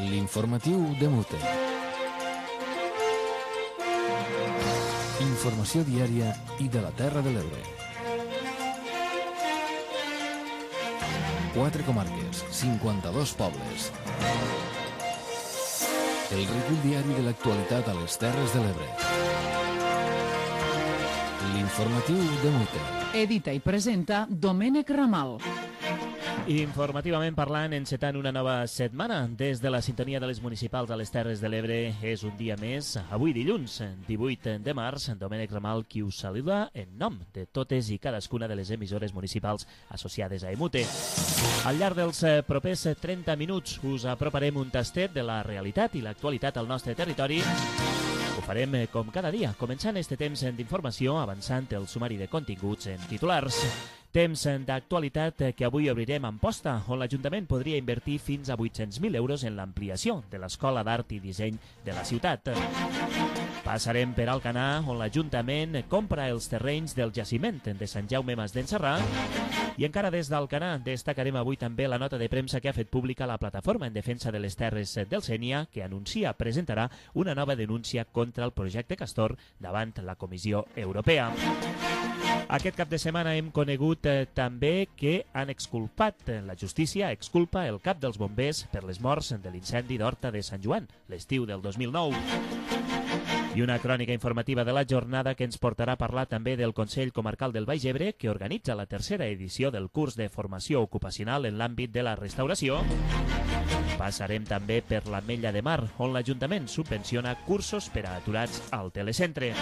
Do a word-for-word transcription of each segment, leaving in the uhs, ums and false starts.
L'informatiu de Mute. Informació diària i de la Terra de l'Ebre. Quatre comarques, cinquanta-dos pobles. El recull diari de l'actualitat a les Terres de l'Ebre. L'informatiu de Mute. Edita i presenta Domènec Ramal. Informativament parlant, encetant una nova setmana des de la sintonia de les municipals a les Terres de l'Ebre. És un dia més, avui dilluns, divuit de març, Domènec Ramal qui us saluda en nom de totes i cadascuna de les emissores municipals associades a Emute. Al llarg dels propers trenta minuts us aproparem un tastet de la realitat i l'actualitat al nostre territori. Ho farem com cada dia, començant este temps d'informació, avançant el sumari de continguts en titulars. Temps d'actualitat que avui obrirem a Amposta, on l'Ajuntament podria invertir fins a vuit-cents mil euros en l'ampliació de l'Escola d'Art i Disseny de la ciutat. Passarem per Alcanar, on l'Ajuntament compra els terrenys del jaciment de Sant Jaume Mas d'en Sarrà. I encara des d'Alcanar destacarem avui també la nota de premsa que ha fet pública la Plataforma en Defensa de les Terres del Sénia, que anuncia presentarà una nova denúncia contra el projecte Castor davant la Comissió Europea. Aquest cap de setmana hem conegut eh, també que han exculpat, la justícia exculpa el cap dels bombers per les morts de l'incendi d'Horta de Sant Joan, l'estiu del dos mil nou. I una crònica informativa de la jornada que ens portarà a parlar també del Consell Comarcal del Baix Ebre, que organitza la tercera edició del curs de formació ocupacional en l'àmbit de la restauració. Passarem també per l'Ametlla de Mar, on l'Ajuntament subvenciona cursos per a aturats al telecentre.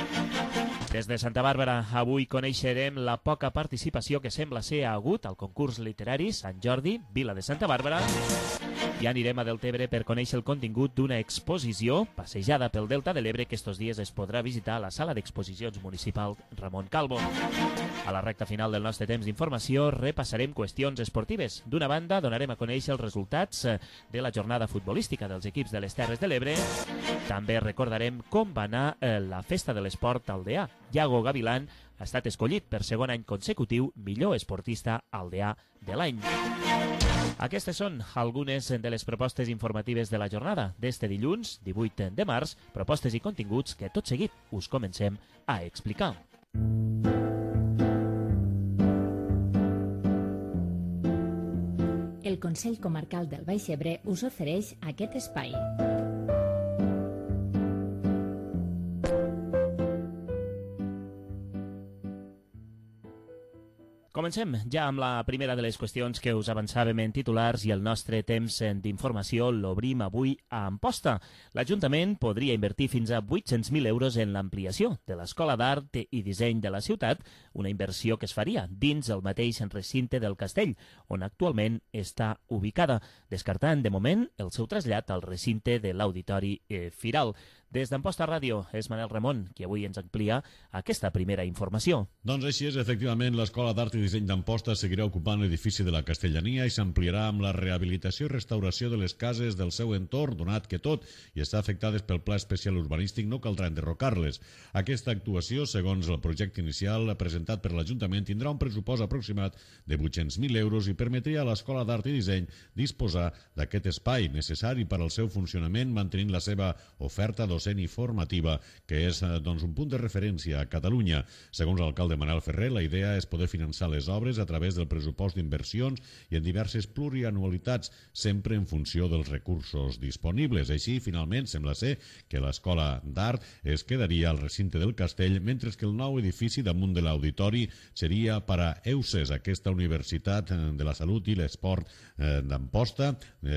Des de Santa Bàrbara, avui coneixerem la poca participació que sembla ser hagut al concurs literari Sant Jordi, Vila de Santa Bàrbara. I anirem a Deltebre per conèixer el contingut d'una exposició passejada pel Delta de l'Ebre que estos dies es podrà visitar a la sala d'exposicions municipal Ramon Calvo. A la recta final del nostre temps d'informació repassarem qüestions esportives. D'una banda, donarem a conèixer els resultats de la jornada futbolística dels equips de les Terres de l'Ebre. També recordarem com va anar la festa de l'esport aldeà. Iago Gavilán ha estat escollit per segon any consecutiu millor esportista aldeà de l'any. Aquestes són algunes de les propostes informatives de la jornada d'este dilluns, divuit de març, propostes i continguts que tot seguit us comencem a explicar. El Consell Comarcal del Baix Ebre us ofereix aquest espai. Comencem ja amb la primera de les qüestions que us avançàvem en titulars i el nostre temps d'informació l'obrim avui a Amposta. L'Ajuntament podria invertir fins a vuit-cents mil euros en l'ampliació de l'Escola d'Art i Disseny de la ciutat, una inversió que es faria dins el mateix recinte del castell, on actualment està ubicada, descartant de moment el seu trasllat al recinte de l'Auditori eh, Firal. Des d'Amposta Ràdio és Manel Ramon, qui avui ens amplia aquesta primera informació. Doncs així és, efectivament, l'Escola d'Art i Disseny d'Amposta seguirà ocupant l'edifici de la Castellania i s'ampliarà amb la rehabilitació i restauració de les cases del seu entorn, donat que tot i està afectades pel Pla Especial Urbanístic no caldrà enderrocar-les. Aquesta actuació, segons el projecte inicial presentat per l'Ajuntament, tindrà un pressupost aproximat de vuit-cents mil euros i permetria a l'Escola d'Art i Disseny disposar d'aquest espai necessari per al seu funcionament, mantenint la seva oferta docent i formativa, que és doncs, un punt de referència a Catalunya. Segons l'alcalde Manel Ferrer, la idea és poder finançar les obres a través del pressupost d'inversions i en diverses plurianualitats, sempre en funció dels recursos disponibles. Així, finalment, sembla ser que l'Escola d'Art es quedaria al recinte del castell, mentre que el nou edifici damunt de l'auditori seria per a EUSES, aquesta Universitat de la Salut i l'Esport d'Amposta,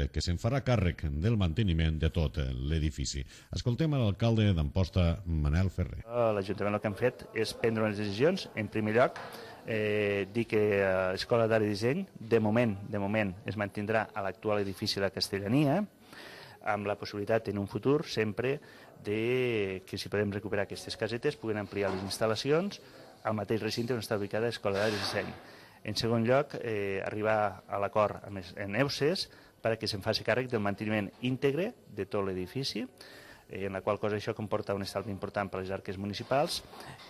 que se'n farà càrrec del manteniment de tot l'edifici. Escoltem a l'alcalde d'Amposta, Manel Ferrer. L'Ajuntament el que han fet és prendre unes decisions. En primer lloc, eh, dir que l'Escola d'Art i Disseny, de moment, de moment, es mantindrà a l'actual edifici de la Castellania, amb la possibilitat en un futur sempre de que si podem recuperar aquestes casetes puguen ampliar les instal·lacions al mateix recinte on està ubicada l'Escola d'Art i Disseny. En segon lloc, eh, arribar a l'acord amb EUSES perquè se'n faci càrrec del manteniment íntegre de tot l'edifici, en la qual cosa això comporta un estalvi important per a les arques municipals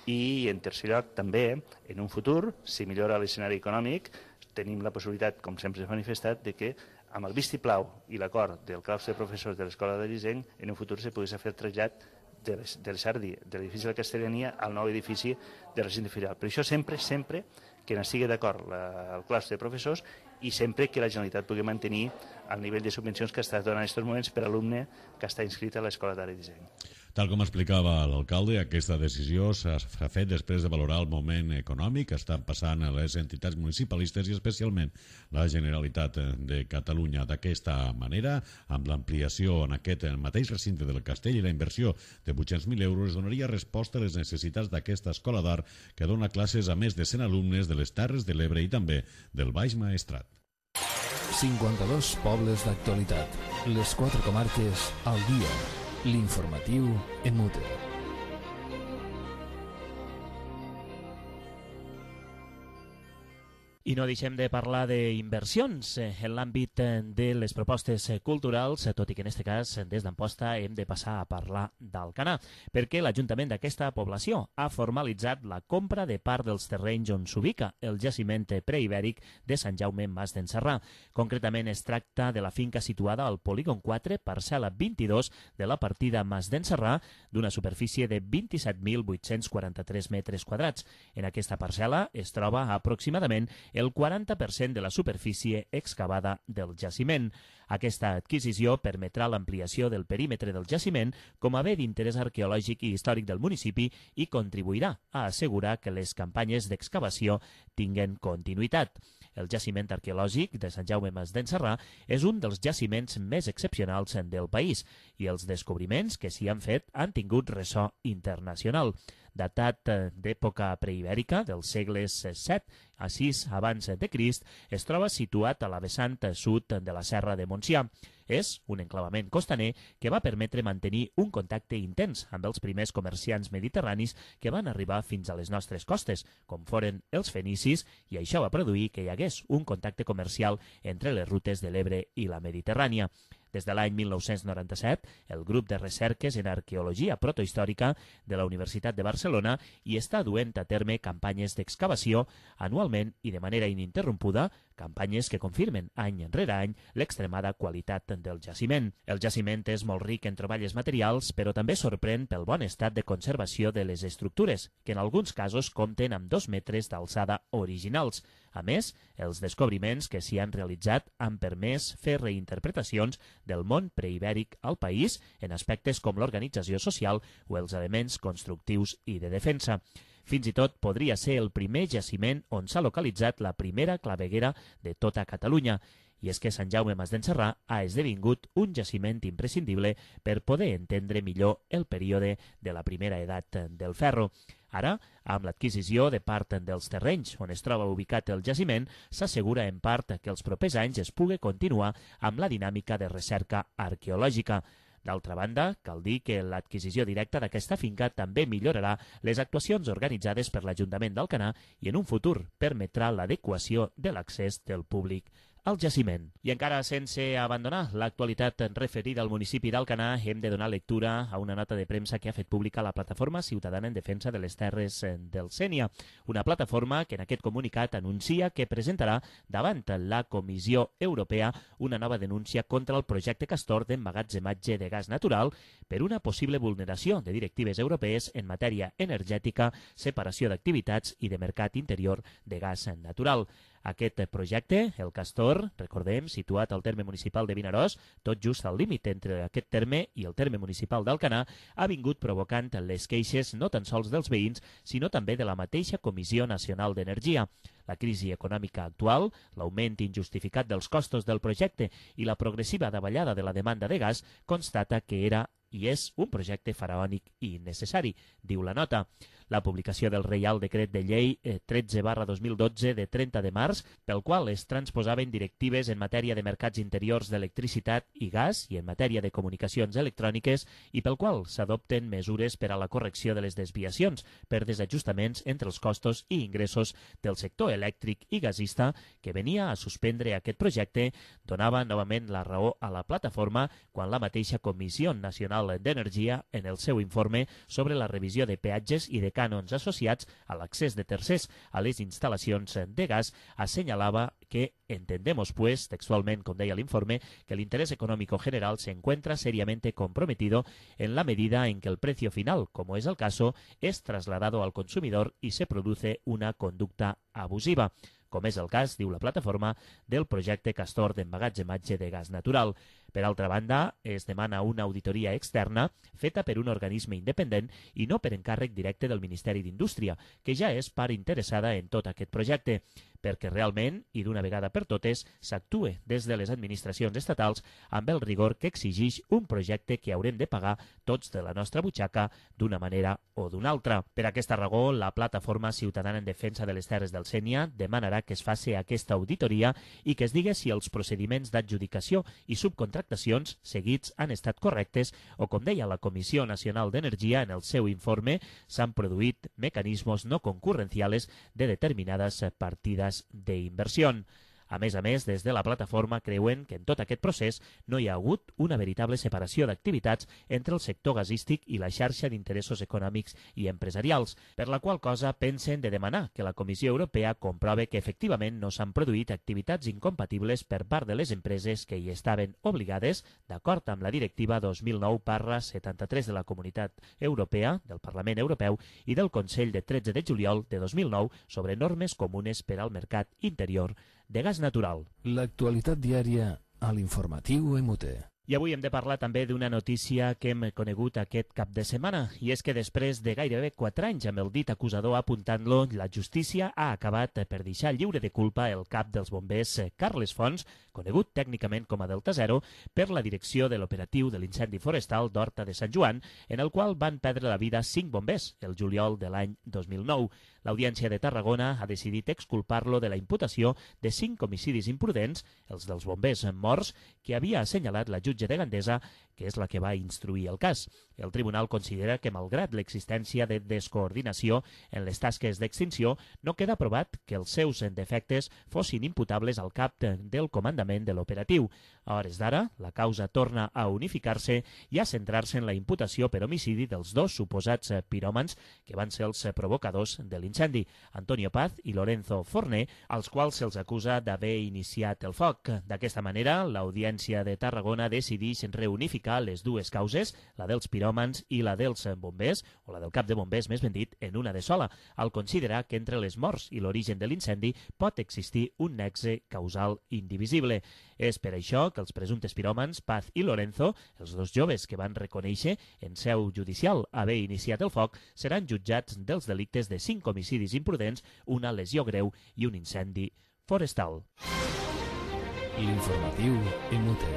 i, en tercer lloc, també, en un futur, si millora l'escenari econòmic, tenim la possibilitat, com sempre s'ha manifestat, de que amb el vistiplau i l'acord del claustre de professors de l'Escola de Disseny, en un futur se pogués fer el trasllat de l'edifici de la Castellania al nou edifici de recinte filial. Per això sempre, sempre que n'estigui d'acord el claustre de professors i sempre que la Generalitat pugui mantenir el nivell de subvencions que està donant en aquests moments per alumne que està inscrit a l'Escola d'Art i Disseny. Tal com explicava l'alcalde, aquesta decisió s'ha fet després de valorar el moment econòmic que estan passant les entitats municipalistes i especialment la Generalitat de Catalunya. D'aquesta manera, amb l'ampliació en aquest mateix recinte del castell i la inversió de vuit-cents mil euros, donaria resposta a les necessitats d'aquesta escola d'art que dona classes a més de cent alumnes de les Terres de l'Ebre i també del Baix Maestrat. cinquanta-dos pobles d'actualitat. Les quatre comarques al dia. L'informatiu en Mute. I no deixem de parlar d'inversions en l'àmbit de les propostes culturals, tot i que en aquest cas, des d'Amposta, hem de passar a parlar d'Alcanar, perquè l'Ajuntament d'aquesta població ha formalitzat la compra de part dels terrenys on s'ubica el jaciment preibèric de Sant Jaume Mas d'en Sarrà. Concretament es tracta de la finca situada al polígon quatre, parcel·la vint-i-dos de la partida Mas d'en Sarrà, d'una superfície de vint-i-set mil vuit-cents quaranta-tres metres quadrats. En aquesta parcel·la es troba aproximadament el quaranta per cent de la superfície excavada del jaciment. Aquesta adquisició permetrà l'ampliació del perímetre del jaciment com a bé d'interès arqueològic i històric del municipi i contribuirà a assegurar que les campanyes d'excavació tinguen continuïtat. El jaciment arqueològic de Sant Jaume Mas d'en Sarrà és un dels jaciments més excepcionals del país i els descobriments que s'hi han fet han tingut ressò internacional. Datat d'època preibèrica, dels segles set a sis abans de Crist, es troba situat a la vessant sud de la Serra de Montsià. És un enclavament costaner que va permetre mantenir un contacte intens amb els primers comerciants mediterranis que van arribar fins a les nostres costes, com foren els fenicis, i això va produir que hi hagués un contacte comercial entre les rutes de l'Ebre i la Mediterrània. Des de l'any mil nou-cents noranta-set, el grup de recerques en arqueologia protohistòrica de la Universitat de Barcelona hi està duent a terme campanyes d'excavació anualment i de manera ininterrompuda, campanyes que confirmen any rere any l'extremada qualitat del jaciment. El jaciment és molt ric en troballes materials, però també sorprèn pel bon estat de conservació de les estructures, que en alguns casos compten amb dos metres d'alçada originals. A més, els descobriments que s'hi han realitzat han permès fer reinterpretacions del món preibèric al país en aspectes com l'organització social o els elements constructius i de defensa. Fins i tot podria ser el primer jaciment on s'ha localitzat la primera claveguera de tota Catalunya. I és que Sant Jaume Mas d'en Sarrà ha esdevingut un jaciment imprescindible per poder entendre millor el període de la primera edat del ferro. Ara, amb l'adquisició de part dels terrenys on es troba ubicat el jaciment, s'assegura en part que els propers anys es pugui continuar amb la dinàmica de recerca arqueològica. D'altra banda, cal dir que l'adquisició directa d'aquesta finca també millorarà les actuacions organitzades per l'Ajuntament d'Alcanar i en un futur permetrà l'adequació de l'accés del públic al jaciment. I encara sense abandonar l'actualitat referida al municipi d'Alcanar, hem de donar lectura a una nota de premsa que ha fet pública la Plataforma Ciutadana en Defensa de les Terres del Sénia, una plataforma que en aquest comunicat anuncia que presentarà davant la Comissió Europea una nova denúncia contra el projecte Castor d'emmagatzematge de gas natural per una possible vulneració de directives europees en matèria energètica, separació d'activitats i de mercat interior de gas natural. Aquest projecte, el Castor, recordem, situat al terme municipal de Vinaròs, tot just al límit entre aquest terme i el terme municipal d'Alcanar, ha vingut provocant les queixes no tan sols dels veïns, sinó també de la mateixa Comissió Nacional d'Energia. La crisi econòmica actual, l'augment injustificat dels costos del projecte i la progressiva davallada de la demanda de gas constata que era i és un projecte faraònic i innecessari, diu la nota. La publicació del Reial Decret de Llei tretze barra dos mil dotze de trenta de març, pel qual es transposaven directives en matèria de mercats interiors d'electricitat i gas i en matèria de comunicacions electròniques i pel qual s'adopten mesures per a la correcció de les desviacions per desajustaments entre els costos i ingressos del sector elèctric i gasista que venia a suspendre aquest projecte, donava novament la raó a la plataforma quan la mateixa Comissió Nacional Nacional d'Energia, en el seu informe sobre la revisió de peatges i de cànons associats a l'accés de tercers a les instal·lacions de gas, assenyalava que entendemos, pues, textualmente, como deia el informe, que el interés económico general se encuentra seriamente comprometido en la medida en que el precio final, como es el caso, es trasladado al consumidor y se produce una conducta abusiva, com és el cas, diu la plataforma, del projecte Castor d'emmagatzematge de gas natural. Per altra banda, es demana una auditoria externa feta per un organisme independent i no per encàrrec directe del Ministeri d'Indústria, que ja és part interessada en tot aquest projecte, perquè realment, i d'una vegada per totes, s'actue des de les administracions estatals amb el rigor que exigeix un projecte que haurem de pagar tots de la nostra butxaca d'una manera o d'una altra. Per aquesta raó, la Plataforma Ciutadana en Defensa de les Terres del Sénia demanarà que es faci aquesta auditoria i que es digui si els procediments d'adjudicació i subcontractacions seguits han estat correctes o, com deia la Comissió Nacional d'Energia en el seu informe, s'han produït mecanismes no concurrenciales de determinades partides d'inversió. A més a més, des de la plataforma creuen que en tot aquest procés no hi ha hagut una veritable separació d'activitats entre el sector gasístic i la xarxa d'interessos econòmics i empresarials, per la qual cosa pensen de demanar que la Comissió Europea comprove que efectivament no s'han produït activitats incompatibles per part de les empreses que hi estaven obligades, d'acord amb la Directiva dos mil nou barra setanta-tres de la Comunitat Europea, del Parlament Europeu i del Consell de tretze de juliol de dos mil nou sobre normes comunes per al mercat interior de gas natural. L'actualitat diària a l'informatiu M U T. I avui hem de parlar també d'una notícia que hem conegut aquest cap de setmana, i és que després de gairebé quatre anys amb el dit acusador apuntant-lo, la justícia ha acabat per deixar lliure de culpa el cap dels bombers Carles Fons, conegut tècnicament com a Delta Zero, per la direcció de l'operatiu de l'incendi forestal d'Horta de Sant Joan, en el qual van perdre la vida cinc bombers el juliol de l'any dos mil nou. L'Audiència de Tarragona ha decidit exculpar-lo de la imputació de cinc homicidis imprudents, els dels bombers morts, que havia assenyalat la jutge de Gandesa, que és la que va instruir el cas. El tribunal considera que, malgrat l'existència de descoordinació en les tasques d'extinció, no queda provat que els seus defectes fossin imputables al cap del comandament de l'operatiu. A hores d'ara, la causa torna a unificar-se i a centrar-se en la imputació per homicidi dels dos suposats piròmans que van ser els provocadors de l'incendi, Antonio Paz i Lorenzo Forné, als quals se'ls acusa d'haver iniciat el foc. D'aquesta manera, l'Audiència de Tarragona decideix reunificar les dues causes, la dels piròmans i la dels bombers, o la del cap de bombers, més ben dit, en una de sola, al considerar que entre les morts i l'origen de l'incendi pot existir un nexe causal indivisible. És per això que els presumptes piròmans, Paz i Lorenzo, els dos joves que van reconèixer en seu judicial haver iniciat el foc, seran jutjats dels delictes de cinc homicidis imprudents, una lesió greu i un incendi forestal. L'informatiu M U T.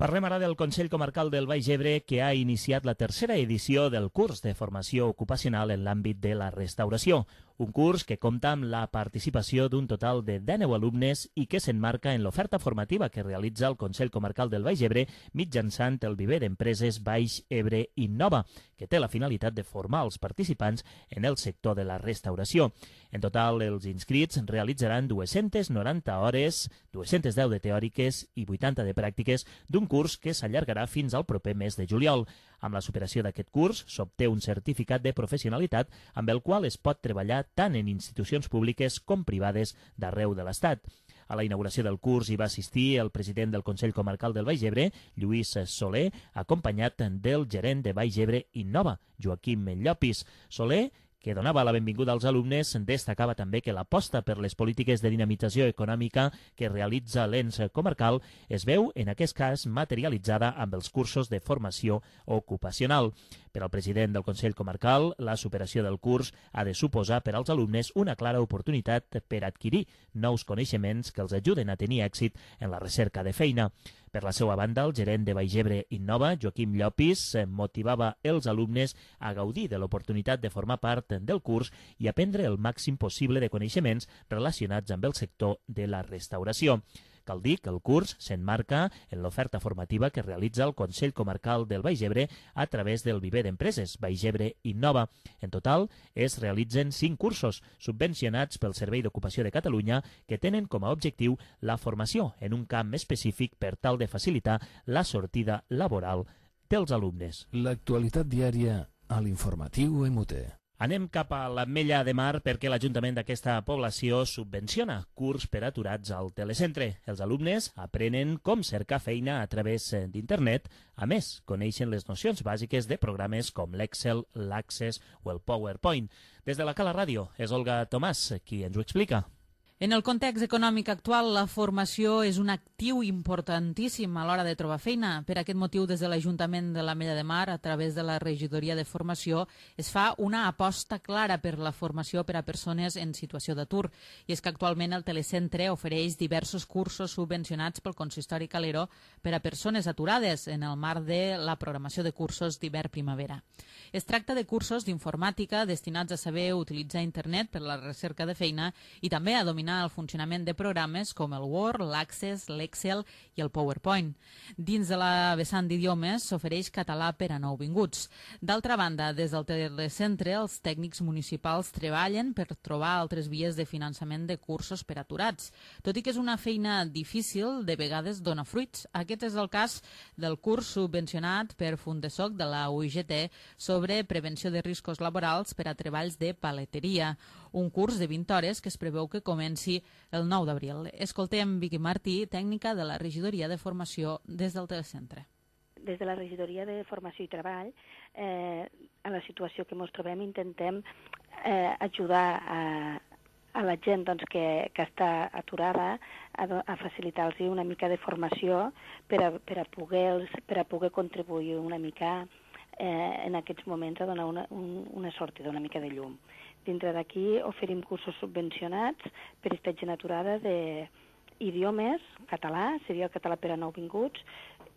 Parlem ara del Consell Comarcal del Baix Ebre, que ha iniciat la tercera edició del curs de formació ocupacional en l'àmbit de la restauració. Un curs que compta amb la participació d'un total de deu alumnes i que s'emmarca en l'oferta formativa que realitza el Consell Comarcal del Baix Ebre mitjançant el viver d'empreses Baix Ebre Innova, que té la finalitat de formar els participants en el sector de la restauració. En total, els inscrits realitzaran dues-centes noranta hores, dues-centes deu de teòriques i vuitanta de pràctiques d'un curs que s'allargarà fins al proper mes de juliol. Amb la superació d'aquest curs s'obté un certificat de professionalitat amb el qual es pot treballar tant en institucions públiques com privades d'arreu de l'Estat. A la inauguració del curs hi va assistir el president del Consell Comarcal del Baix Ebre, Lluís Soler, acompanyat del gerent de Baix Ebre Innova, Joaquim Llopis. Soler, que donava la benvinguda als alumnes, destacava també que l'aposta per les polítiques de dinamització econòmica que realitza l'ens comarcal es veu, en aquest cas, materialitzada amb els cursos de formació ocupacional. Per al president del Consell Comarcal, la superació del curs ha de suposar per als alumnes una clara oportunitat per adquirir nous coneixements que els ajuden a tenir èxit en la recerca de feina. Per la seva banda, el gerent de Baix Ebre Innova, Joaquim Llopis, motivava els alumnes a gaudir de l'oportunitat de formar part del curs i aprendre el màxim possible de coneixements relacionats amb el sector de la restauració. Cal dir que el curs s'emmarca en l'oferta formativa que realitza el Consell Comarcal del Baix Ebre a través del Viver d'Empreses Baix Ebre Innova. En total, es realitzen cinc cursos subvencionats pel Servei d'Ocupació de Catalunya que tenen com a objectiu la formació en un camp específic per tal de facilitar la sortida laboral dels alumnes. L'actualitat diària a l'informatiu M T. Anem cap a l'Ametlla de Mar perquè l'Ajuntament d'aquesta població subvenciona curs per aturats al telecentre. Els alumnes aprenen com cercar feina a través d'internet. A més, coneixen les nocions bàsiques de programes com l'Excel, l'Access o el PowerPoint. Des de la Cala Ràdio és Olga Tomàs qui ens ho explica. En el context econòmic actual, la formació és un actiu importantíssim a l'hora de trobar feina. Per aquest motiu, des de l'Ajuntament de l'Ametlla de Mar, a través de la Regidoria de Formació, es fa una aposta clara per la formació per a persones en situació d'atur. I és que actualment el telecentre ofereix diversos cursos subvencionats pel Consistori Calero per a persones aturades en el marc de la programació de cursos d'hivern-primavera. Es tracta de cursos d'informàtica destinats a saber utilitzar internet per a la recerca de feina i també a dominar el funcionament de programes com el Word, l'Access, l'Excel i el PowerPoint. Dins de la vessant d'idiomes s'ofereix català per a nouvinguts. D'altra banda, des del telecentre, els tècnics municipals treballen per trobar altres vies de finançament de cursos per aturats. Tot i que és una feina difícil, de vegades dona fruits. Aquest és el cas del curs subvencionat per Fundesoc de la U I G T sobre prevenció de riscos laborals per a treballs de paleteria. Un curs de vint hores que es preveu que comenci el nou d'abril. Escoltem Vicky Martí, tècnica de la Regidoria de Formació des del telecentre. Des de la Regidoria de Formació i Treball, eh, a la situació que ens trobem, intentem eh, ajudar a, a la gent doncs, que, que està aturada a, a facilitar-los una mica de formació per a, per a, poder, per a poder contribuir una mica eh, en aquests moments a donar una, un, una sortida, una mica de llum. Dintre d'aquí oferim cursos subvencionats per a aquesta gent aturada d'idiomes, català, seria el català per a nouvinguts,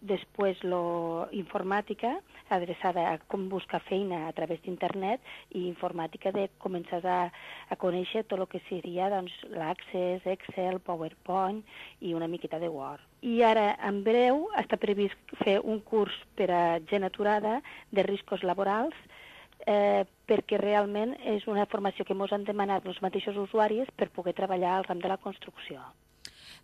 després la informàtica, adreçada a com buscar feina a través d'internet, i informàtica de començar a, a conèixer tot el que seria doncs, l'Access, Excel, PowerPoint i una miqueta de Word. I ara, en breu, està previst fer un curs per a gent aturada de riscos laborals, Eh, perquè realment és una formació que ens han demanat els mateixos usuaris per poder treballar al ram de la construcció.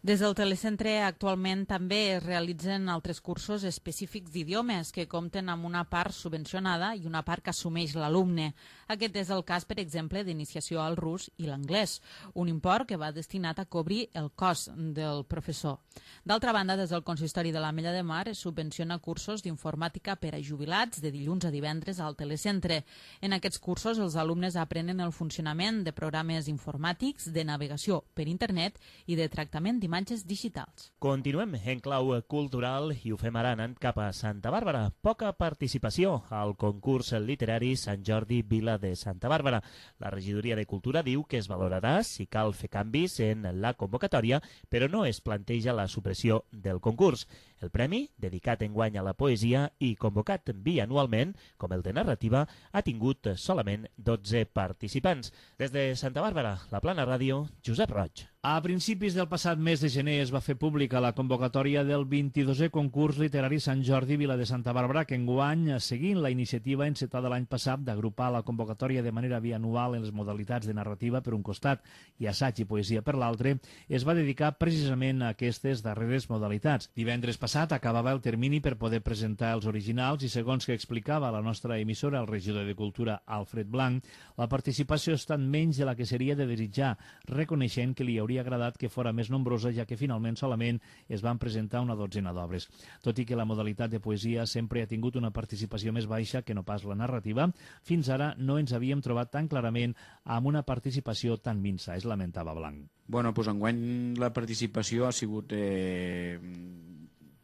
Des del telecentre actualment també es realitzen altres cursos específics d'idiomes que compten amb una part subvencionada i una part que assumeix l'alumne. Aquest és el cas, per exemple, d'iniciació al rus i l'anglès, un import que va destinat a cobrir el cost del professor. D'altra banda, des del Consistori de l'Ametlla de Mar es subvenciona cursos d'informàtica per a jubilats de dilluns a divendres al telecentre. En aquests cursos els alumnes aprenen el funcionament de programes informàtics, de navegació per internet i de tractament d'imatges imatges digitals. Continuem en clau cultural i ho fem ara anant cap a Santa Bàrbara. Poca participació al concurs literari Sant Jordi Vila de Santa Bàrbara. La Regidoria de Cultura diu que es valorarà si cal fer canvis en la convocatòria, però no es planteja la supressió del concurs. El premi, dedicat enguany a la poesia i convocat bianualment, com el de narrativa, ha tingut solament dotze participants. Des de Santa Bàrbara, la Plana Ràdio, Josep Roig. A principis del passat mes de gener es va fer pública la convocatòria del vint-i-dosè concurs literari Sant Jordi Vila de Santa Bàrbara, que enguany, seguint la iniciativa encetada l'any passat d'agrupar la convocatòria de manera bianual en les modalitats de narrativa per un costat i assaig i poesia per l'altre, es va dedicar precisament a aquestes darreres modalitats. Divendres passat acabava el termini per poder presentar els originals i, segons que explicava la nostra emissora, el regidor de Cultura, Alfred Blanc, la participació ha estat menys de la que seria de desitjar, reconeixent que li hauria agradat que fora més nombrosa, ja que finalment solament es van presentar una dotzena d'obres. Tot i que la modalitat de poesia sempre ha tingut una participació més baixa que no pas la narrativa, fins ara no ens havíem trobat tan clarament amb una participació tan minsa, es lamentava Blanc. Bueno, doncs enguany la participació ha sigut, eh,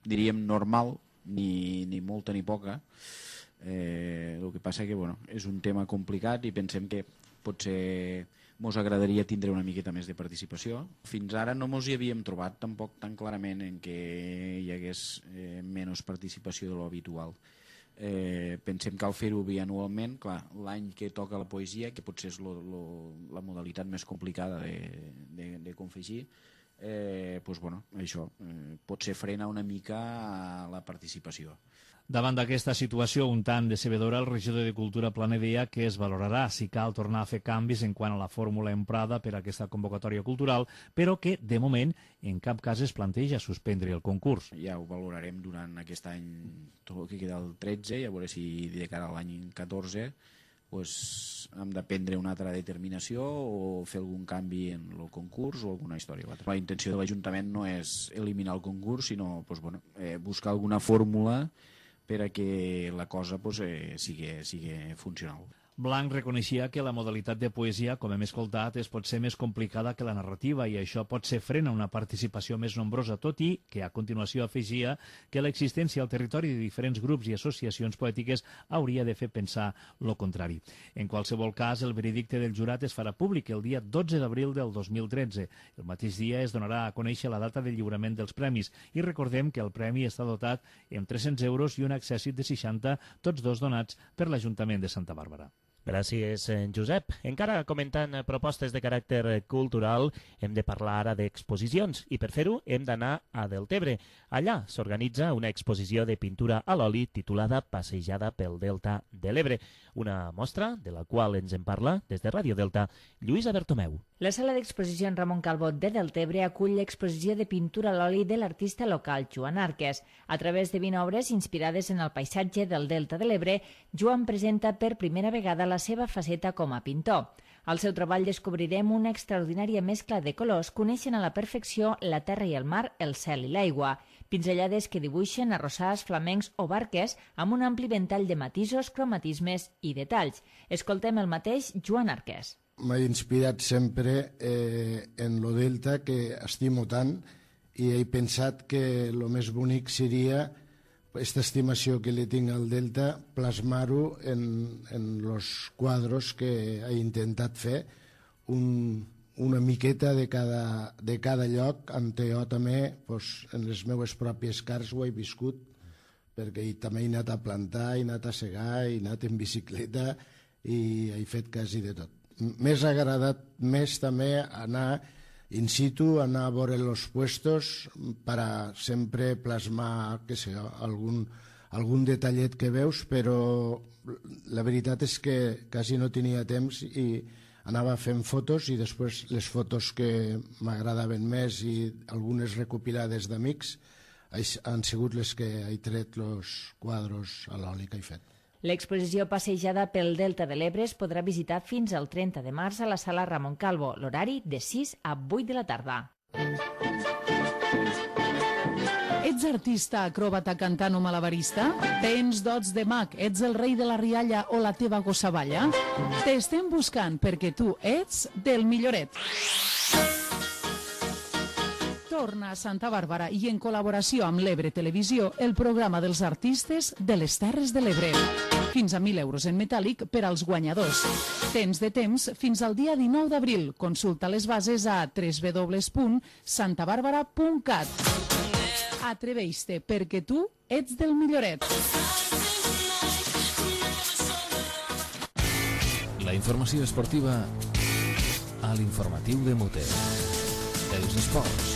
diríem, normal, ni, ni molta ni poca. Eh, el que passa que bueno, és un tema complicat i pensem que potser mos agradaria tindre una miqueta més de participació. Fins ara no mos hi havíem trobat tampoc tan clarament en què hi hagués eh, menys participació de l'habitual. Eh, pensem que cal fer-ho bianualment, clar, l'any que toca la poesia, que potser és lo, lo, la modalitat més complicada de, de, de confegir, eh, doncs, bueno, això eh, potser frena una mica la participació. Davant d'aquesta situació un tant decebedora, el regidor de Cultura planeja que es valorarà si cal tornar a fer canvis en quant a la fórmula emprada per a aquesta convocatòria cultural, però que, de moment, en cap cas es planteja suspendre el concurs. Ja ho valorarem durant aquest any, tot el que queda el tretze, i a veure si de cara a l'any catorze pues, hem de prendre una altra determinació o fer algun canvi en el concurs o alguna història o altra. La intenció de l'Ajuntament no és eliminar el concurs, sinó pues, bueno, eh, buscar alguna fórmula per a que la cosa pues, eh, sigui, sigui funcional. Blanc reconeixia que la modalitat de poesia, com hem escoltat, es pot ser més complicada que la narrativa i això pot ser frena una participació més nombrosa, tot i que a continuació afegia que l'existència al territori de diferents grups i associacions poètiques hauria de fer pensar lo contrari. En qualsevol cas, el veredicte del jurat es farà públic el dia dotze d'abril del dos mil tretze. El mateix dia es donarà a conèixer la data de lliurament dels premis i recordem que el premi està dotat amb tres-cents euros i un accèssit de seixanta, tots dos donats per l'Ajuntament de Santa Bàrbara. Gràcies, Josep. Encara comentant propostes de caràcter cultural, hem de parlar ara d'exposicions i per fer-ho hem d'anar a Deltebre. Allà s'organitza una exposició de pintura a l'oli titulada Passejada pel Delta de l'Ebre, una mostra de la qual ens en parla des de Ràdio Delta Lluïsa Bertomeu. La sala d'exposició Ramon Calvo de Deltebre acull l'exposició de pintura a l'oli de l'artista local Joan Arques. A través de vint obres inspirades en el paisatge del Delta de l'Ebre, Joan presenta per primera vegada la seva faceta com a pintor. Al seu treball descobrirem una extraordinària mescla de colors que uneixen a la perfecció la terra i el mar, el cel i l'aigua. Pinzellades que dibuixen arrossars, flamencs o barques amb un ampli ventall de matisos, cromatismes i detalls. Escoltem el mateix Joan Arques. M'ha inspirat sempre eh, en lo Delta, que estimo tant, i he pensat que el més bonic seria aquesta estimació que li tinc al Delta, plasmar-ho en, en los quadros que he intentat fer, un, una miqueta de cada, de cada lloc, on jo també pues, en les meves pròpies cars ho he viscut, perquè també he anat a plantar, he anat a segar, he anat en bicicleta i he fet quasi de tot. M'ha agradat més també anar in situ, anar a veure els puestos per a sempre plasmar, què sé, algun, algun detallet que veus, però la veritat és que quasi no tenia temps i anava fent fotos i després les fotos que m'agradaven més i algunes recopilades d'amics han sigut les que he tret els quadros a l'oli que he fet. L'exposició Passejada pel Delta de l'Ebre es podrà visitar fins al trenta de març a la sala Ramon Calvo, l'horari de sis a vuit de la tarda. Ets artista, acròbata, cantant o malabarista? Tens dots de mag, ets el rei de la rialla o la teva gossavalla? T'estem buscant perquè tu ets del milloret. Torna a Santa Bàrbara i en col·laboració amb l'Ebre Televisió el programa dels artistes de les Terres de l'Ebre. Fins a mil euros en metàl·lic per als guanyadors. Tens de temps fins al dia dinou d'abril. Consulta les bases a w w w punt santa bàrbara punt cat. Atreveix-te perquè tu ets del milloret. La informació esportiva a l'informatiu de Muter. Els esports.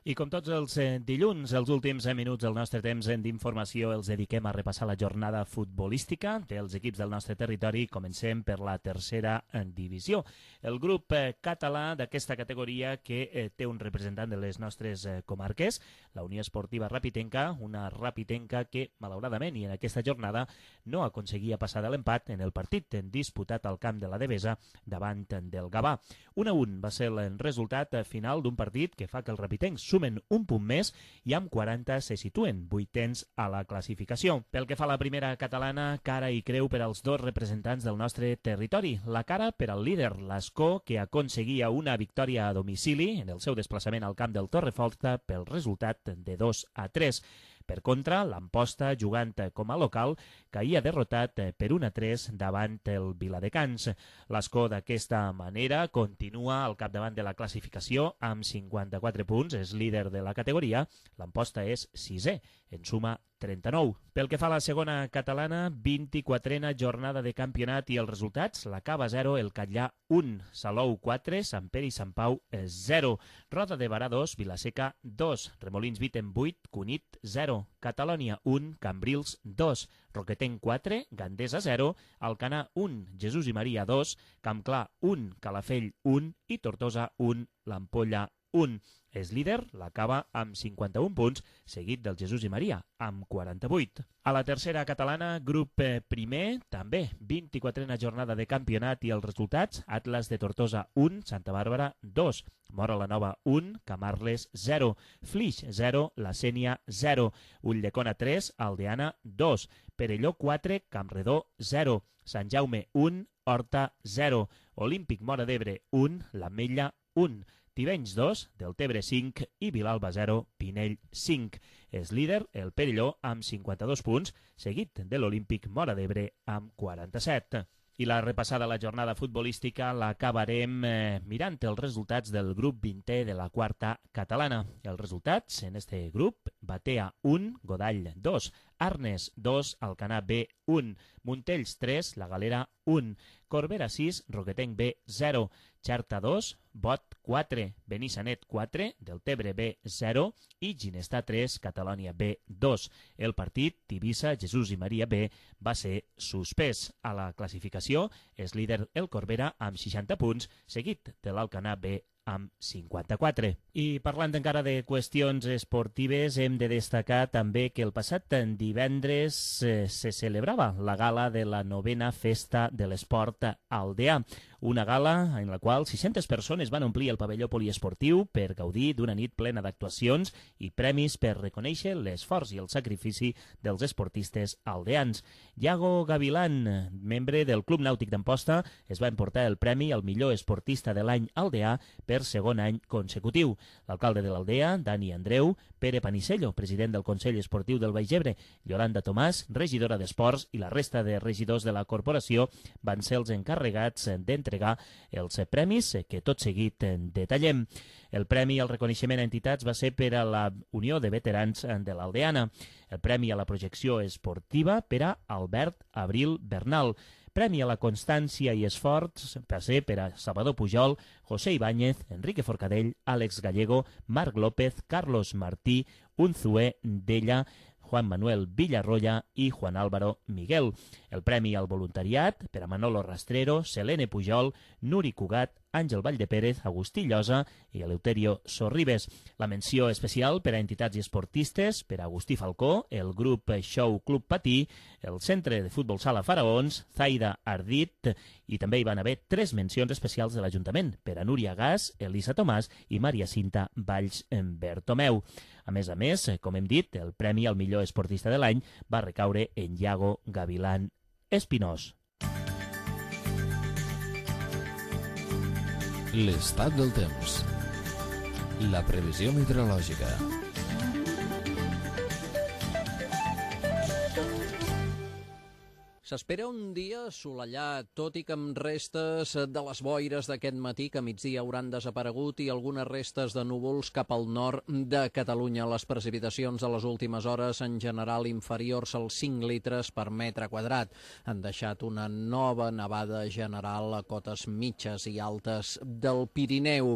I com tots els dilluns, els últims minuts del nostre temps d'informació els dediquem a repassar la jornada futbolística dels equips del nostre territori. Comencem per la tercera divisió. El grup català d'aquesta categoria que té un representant de les nostres comarques, la Unió Esportiva Rapitenca, una Rapitenca que, malauradament, i en aquesta jornada, no aconseguia passar de l'empat en el partit disputat al camp de la Devesa davant del Gavà. un a un va ser el resultat final d'un partit que fa que els rapitencs sumen un punt més i amb quaranta se situen vuitens a la classificació. Pel que fa a la primera catalana, cara i creu per als dos representants del nostre territori. La cara per al líder, l'Escó, que aconseguia una victòria a domicili en el seu desplaçament al camp del Torreforta pel resultat de dos a tres. Per contra, l'Amposta, jugant com a local, caïa derrotat per un a tres davant el Viladecans. L'Escó d'aquesta manera continua al capdavant de la classificació amb cinquanta-quatre punts, és líder de la categoria. L'Amposta és sisè en suma trenta-nou. Pel que fa a la segona catalana, vint-i-quatrena jornada de campionat i els resultats: la Cava zero, el Catllà un, Salou quatre, Sant Pere i Sant Pau zero, Roda de Barà dos, Vilaseca dos, Remolins Viten vuit, Cunit zero, Catalònia un, Cambrils dos, Roquetenc quatre, Gandesa zero, Alcanar un, Jesús i Maria dos, Campclar un, Calafell un i Tortosa un, l'Ampolla un. És líder la Cava amb cinquanta-un punts, seguit del Jesús i Maria amb quaranta-vuit. A la tercera catalana, grup primer, també vint-i-quatrena jornada de campionat i els resultats: Atlas de Tortosa un, Santa Bàrbara dos, Mora la Nova un, Camarles zero, Flix zero, La Sénia zero, Ulldecona tres, Aldeana dos, Perelló quatre, Campredó zero, Sant Jaume un, Horta zero, Olímpic Móra d'Ebre un, l'Ametlla un, Tivenys dos, Deltebre cinc i Vilalba zero, Pinell cinc. És líder el Perelló amb cinquanta-dos punts, seguit de l'Olímpic Móra d'Ebre amb quaranta-set. I la repassada a la jornada futbolística l'acabarem eh, mirant els resultats del grup vintè de la quarta catalana. Els resultats en este grup: Batea un, Godall dos, Arnes dos, Alcanar B un, Montells tres, La Galera un, Corbera sis, Roquetenc B zero, Xerta dos, Bot quatre, Benissanet quatre, Deltebre B zero i Ginestar tres, Catalònia B dos. El partit Tivissa, Jesús i Maria B va ser suspès. A la classificació és líder el Corbera amb seixanta punts, seguit de l'Alcanar B amb cinquanta-quatre. I parlant encara de qüestions esportives, hem de destacar també que el passat divendres eh, se celebrava la gala de la novena Festa de l'Esport Aldeà, una gala en la qual sis-centes persones van omplir el pavelló poliesportiu per gaudir d'una nit plena d'actuacions i premis per reconèixer l'esforç i el sacrifici dels esportistes aldeans. Iago Gavilán, membre del Club Nàutic d'Amposta, es va emportar el premi al millor esportista de l'any aldeà per segon any consecutiu. L'alcalde de l'Aldea, Dani Andreu, Pere Panicello, president del Consell Esportiu del Baix Ebre, Yolanda Tomàs, regidora d'Esports, i la resta de regidors de la corporació van ser els encarregats d'entregar els premis que tot seguit detallem. El premi al reconeixement a entitats va ser per a la Unió de Veterans de l'Aldeana. El premi a la projecció esportiva per a Albert Abril Bernal. Premi a la constància i esforç va ser per a Salvador Pujol, José Ibáñez, Enrique Forcadell, Àlex Gallego, Marc López, Carlos Martí, Unzué Della, Juan Manuel Villarroya i Juan Álvaro Miguel. El premi al voluntariat per a Manolo Rastrero, Selene Pujol, Nuri Cugat, Àngel Valldepérez, Agustí Llosa i Eleuterio Sorribes. La menció especial per a entitats i esportistes per a Agustí Falcó, el grup Show Club Patí, el Centre de Futbol Sala Faraons, Zaida Ardit, i també hi van haver tres mencions especials de l'Ajuntament per a Núria Gas, Elisa Tomàs i Maria Cinta Valls Bertomeu. A més a més, com hem dit, el premi al millor esportista de l'any va recaure en Iago Gavilán Espinós. L'estat del temps. La previsió meteorològica. S'espera un dia assolellat, tot i que amb restes de les boires d'aquest matí que a migdia hauran desaparegut i algunes restes de núvols cap al nord de Catalunya. Les precipitacions de les últimes hores, en general inferiors als cinc litres per metre quadrat, han deixat una nova nevada general a cotes mitges i altes del Pirineu.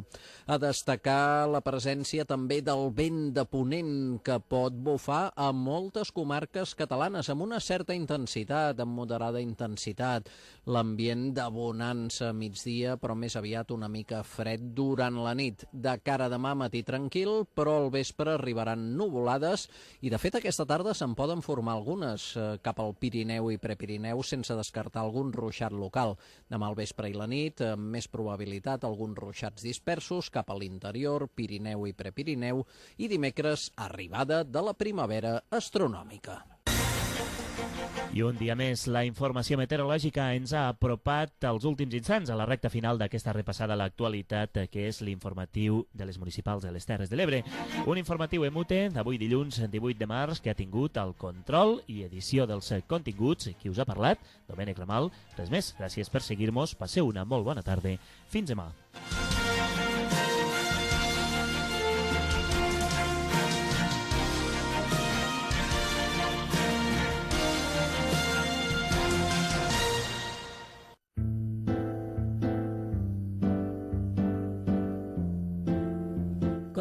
A destacar la presència també del vent de ponent que pot bufar a moltes comarques catalanes amb una certa intensitat, amb moderada intensitat. L'ambient de bonança a migdia, però més aviat una mica fred durant la nit. De cara a demà, matí tranquil, però al vespre arribaran nuvolades i, de fet, aquesta tarda se'n poden formar algunes eh, cap al Pirineu i Prepirineu, sense descartar algun ruixat local. Demà al vespre i la nit, amb més probabilitat, alguns ruixats dispersos cap a l'interior, Pirineu i Prepirineu, i dimecres, arribada de la primavera astronòmica. I un dia més, la informació meteorològica ens ha apropat als últims instants a la recta final d'aquesta repassada a l'actualitat, que és l'informatiu de les municipals de les Terres de l'Ebre. Un informatiu emute d'avui dilluns divuit de març que ha tingut el control i edició dels continguts. Qui us ha parlat? Domènec Ramal. Res més, gràcies per seguir-nos. Passeu una molt bona tarda. Fins demà.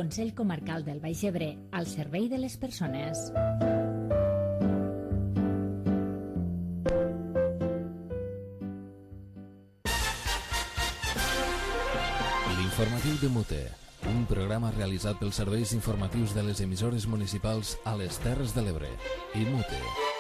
Consell Comarcal del Baix Ebre, al servei de les persones. L'informatiu de Mute, un programa realitzat pels serveis informatius de les emissores municipals a les Terres de l'Ebre i Mute.